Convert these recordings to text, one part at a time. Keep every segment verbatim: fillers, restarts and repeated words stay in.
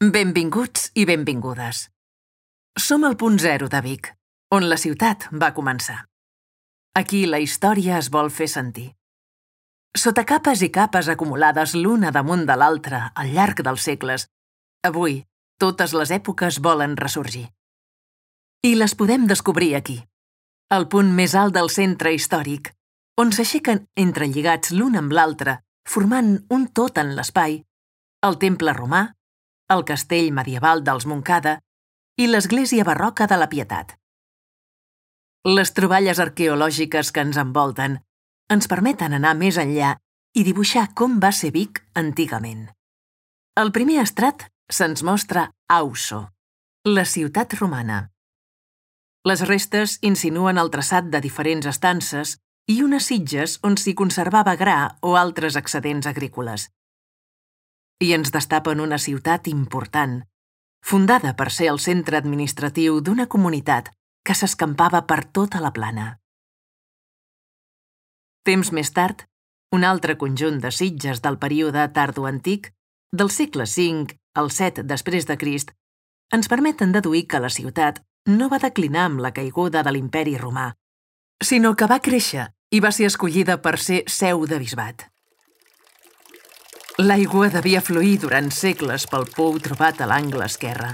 Benvinguts i benvingudes. Som al punt zero de Vic, on la ciutat va començar. Aquí la història es vol fer sentir. Sota capes i capes acumulades l'una damunt de l'altra al llarg dels segles, avui totes les èpoques volen ressorgir. I les podem descobrir aquí, al punt més alt del centre històric, on s'aixequen entrelligats l'un amb l'altre, formant un tot en l'espai, el temple romà, el castell medieval dels Montcada i l'església barroca de la Pietat. Les troballes arqueològiques que ens envolten ens permeten anar més enllà i dibuixar com va ser Vic antigament. Al primer estrat se'ns mostra Auso, la ciutat romana. Les restes insinuen el traçat de diferents estances i unes sitges on s'hi conservava gra o altres excedents agrícoles. I ens destapen una ciutat important, fundada per ser el centre administratiu d'una comunitat que s'escampava per tota la plana. Temps més tard, un altre conjunt de sitges del període tardoantic, del segle cinc al set després de Crist, ens permeten deduir que la ciutat no va declinar amb la caiguda de l'imperi romà, sinó que va créixer i va ser escollida per ser seu de bisbat. L'aigua devia fluir durant segles pel pou trobat a l'angle esquerre.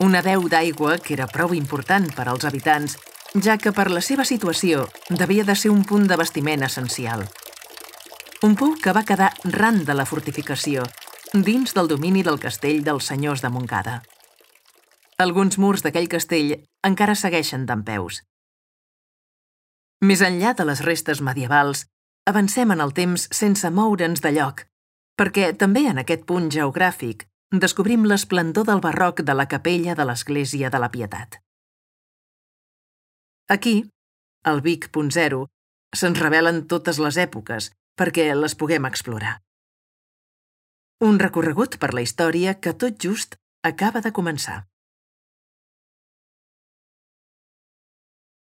Una deu d'aigua que era prou important per als habitants, ja que per la seva situació devia de ser un punt d'abastiment essencial. Un pou que va quedar ran de la fortificació, dins del domini del castell dels senyors de Montcada. Alguns murs d'aquell castell encara segueixen dempeus. Més enllà de les restes medievals, avancem en el temps sense moure'ns de lloc, perquè també en aquest punt geogràfic descobrim l'esplendor del barroc de la capella de l'església de la Pietat. Aquí, al Vic punt zero, se'ns revelen totes les èpoques perquè les puguem explorar. Un recorregut per la història que tot just acaba de començar.